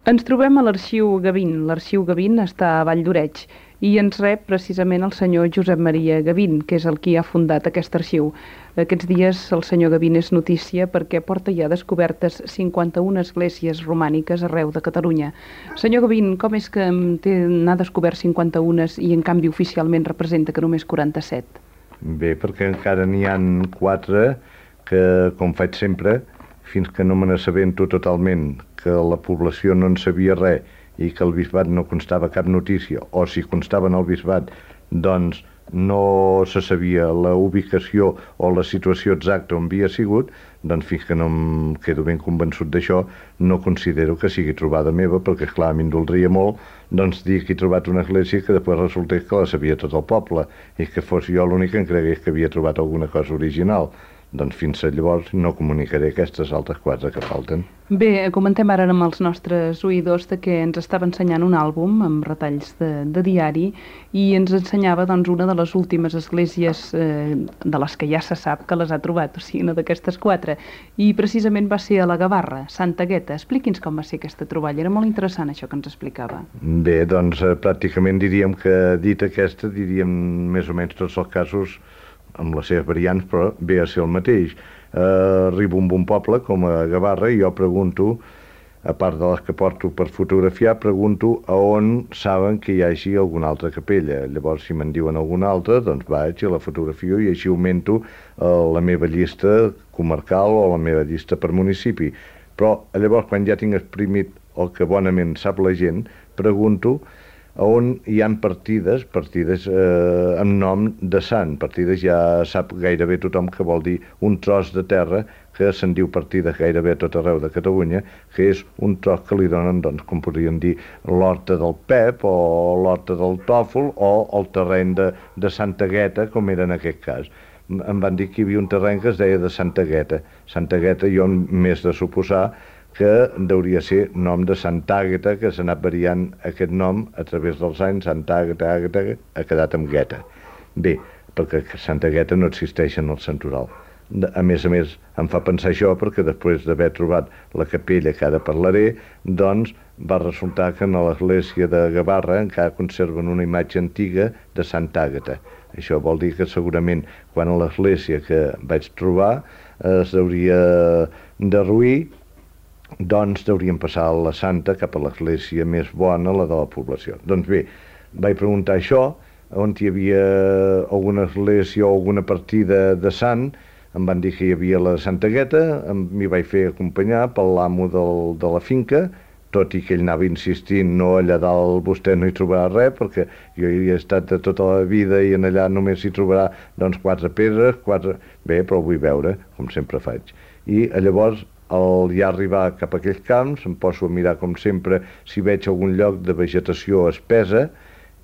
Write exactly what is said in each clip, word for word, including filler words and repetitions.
Ens trobem a l'Arxiu Gavín. L'Arxiu Gavín està a Vall d'Oreig i ens rep precisament el senyor Josep Maria Gavín, que és el qui ha fundat aquest arxiu. Aquests dies el senyor Gavín és notícia perquè porta ja descobertes cinquanta-una esglésies romàniques arreu de Catalunya. Senyor Gavín, com és que n'ha descobert cinquanta-una i en canvi oficialment representa que només quaranta-set? Bé, perquè encara n'hi ha quatre que, com faig sempre, fins que no me n'assabento totalment que la població no en sabia res i que el bisbat no constava cap notícia, o si constava en el bisbat, doncs no se sabia la ubicació o la situació exacta on havia sigut, doncs fins que no em quedo ben convençut d'això, no considero que sigui trobada meva, perquè, clar, a mi em doldria molt doncs dir que he trobat una església que després resultés que la sabia tot el poble i que fos jo l'únic que em cregués que havia trobat alguna cosa original. Doncs fins llavors no comunicaré aquestes altres quatre que falten. Bé, comentem ara amb els nostres oïdors de que ens estava ensenyant un àlbum amb retalls de, de diari i ens ensenyava doncs, una de les últimes esglésies eh, de les que ja se sap que les ha trobat, o sigui, una d'aquestes quatre. I precisament va ser a la Gavarra, Santa Gueta. Expliqui'ns com va ser aquesta troballa. Era molt interessant això que ens explicava. Bé, doncs eh, pràcticament diríem que dit aquesta, diríem més o menys tots els casos amb les seves variants, però ve a ser el mateix. Eh, arribo a un bon poble, com a Gavarra, i jo pregunto, a part de les que porto per fotografiar, pregunto a on saben que hi hagi alguna altra capella. Llavors, si me'n diuen alguna altra, doncs vaig i la fotografio i així augmento eh, la meva llista comarcal o la meva llista per municipi. Però llavors, quan ja tinc exprimit el que bonament sap la gent, pregunto on hi ha partides, partides eh, amb nom de sant. Partides ja sap gairebé tothom que vol dir un tros de terra que se'n diu partida gairebé a tot arreu de Catalunya, que és un tros que li donen, doncs, com podríem dir, l'horta del Pep o l'horta del Tòfol o el terreny de, de Santa Gueta, com era en aquest cas. Em van dir que hi havia un terreny que es deia de Santa Gueta. Santa Gueta jo m'és de suposar que hauria ser nom de Santa Àgata, que s'ha anat variant aquest nom a través dels anys. Santa Àgata, Àgata, ha quedat amb Gueta. Bé, perquè Santa Gueta no existeix en el santoral. A més a més, em fa pensar això perquè després d'haver trobat la capella que ara parlaré, doncs va resultar que en l'església de Gavarra encara conserven una imatge antiga de Santa Àgata. Això vol dir que segurament quan a l'església que vaig trobar es hauria derruir, doncs hauríem passar la santa cap a l'església més bona, la de la població. Doncs bé, vaig preguntar això, on hi havia alguna església o alguna partida de sant. Em van dir que hi havia la Santa Gueta, m'hi vaig fer acompanyar per l'amo del, de la finca, tot i que ell anava insistint, no, allà dalt vostè no hi trobarà res, perquè jo hi he estat de tota la vida i en allà només hi trobarà doncs quatre pedres, quatre... Bé, però ho vull veure, com sempre faig. I llavors, al ja arribar cap a aquells camps, em poso a mirar, com sempre, si veig algun lloc de vegetació espessa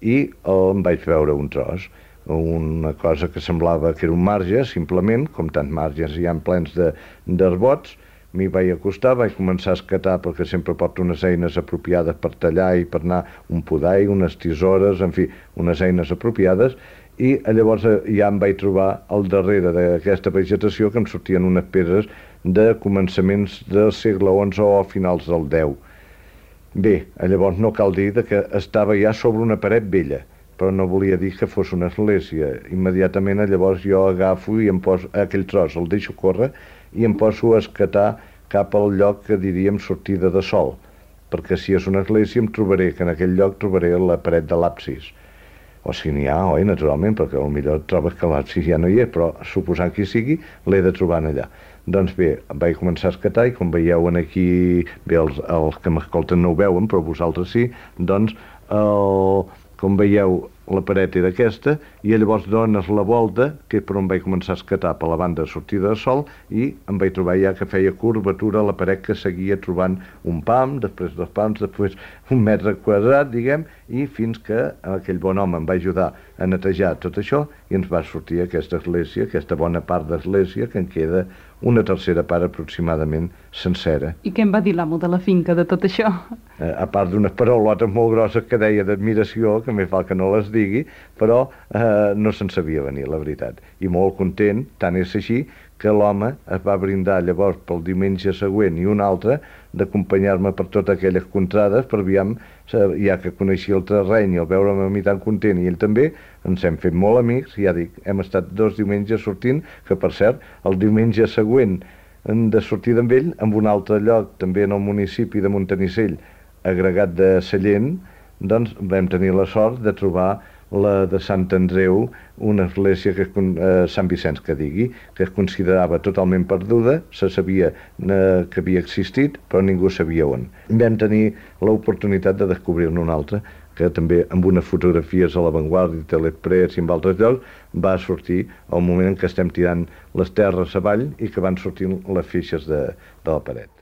i em vaig veure un tros, una cosa que semblava que era un marge, simplement, com tants marges hi ha plens d'arbots. M'hi vaig acostar, vaig començar a escatar, perquè sempre porto unes eines apropiades per tallar i per anar, un podall, unes tisores, en fi, unes eines apropiades, i llavors ja em vaig trobar al darrere d'aquesta vegetació que em sortien unes pedres de començaments del segle onze o finals del deu. Bé, llavors no cal dir que estava ja sobre una paret vella, però no volia dir que fos una església. Immediatament llavors jo agafo i em poso aquell tros, el deixo córrer i em poso a escatar cap al lloc que diríem sortida de sol, perquè si és una església em trobaré que en aquell lloc trobaré la paret de l'absis. O si n'hi ha, oi, naturalment, perquè potser trobes que l'absis ja no hi és, però suposant que hi sigui, l'he de trobar allà. Doncs bé, vaig començar a escatar i com veieu aquí, bé, els, els que m'escolten no ho veuen, però vosaltres sí, doncs, el, com veieu, la paret era aquesta, i llavors dones la volta, que és per on vaig començar a escatar per la banda de sortida de sol, i em vaig trobar ja que feia curvatura a la paret, que seguia trobant un pam, després dos pams, després un metre quadrat, diguem, i fins que aquell bon home em va ajudar a netejar tot això i ens va sortir aquesta església, aquesta bona part d'església, que en queda una tercera part aproximadament sencera. I què em va dir l'amo de la finca de tot això? Eh, a part d'unes paraulotes molt grosses que deia d'admiració, que més val que no les digui, però eh, no se'n sabia venir, la veritat. I molt content, tant és així, que l'home es va brindar llavors pel diumenge següent i un altre d'acompanyar-me per totes aquelles contrades per aviam, ja que coneixia el terreny i el veure'm a mi tan content i ell també, ens hem fet molt amics, ja dic, hem estat dos diumenges sortint, que per cert, el diumenge següent de sortir amb ell, en un altre lloc, també en el municipi de Montanissell, agregat de Sallent, doncs vam tenir la sort de trobar la de Sant Andreu, una església, que eh, Sant Vicenç que digui, que es considerava totalment perduda, se sabia eh, que havia existit, però ningú sabia on. Vam tenir l'oportunitat de descobrir-ne una altra, que també amb unes fotografies a l'Avantguardia, Telepress i en altres llocs, va sortir el moment en què estem tirant les terres avall i que van sortint les feixes de, de la paret.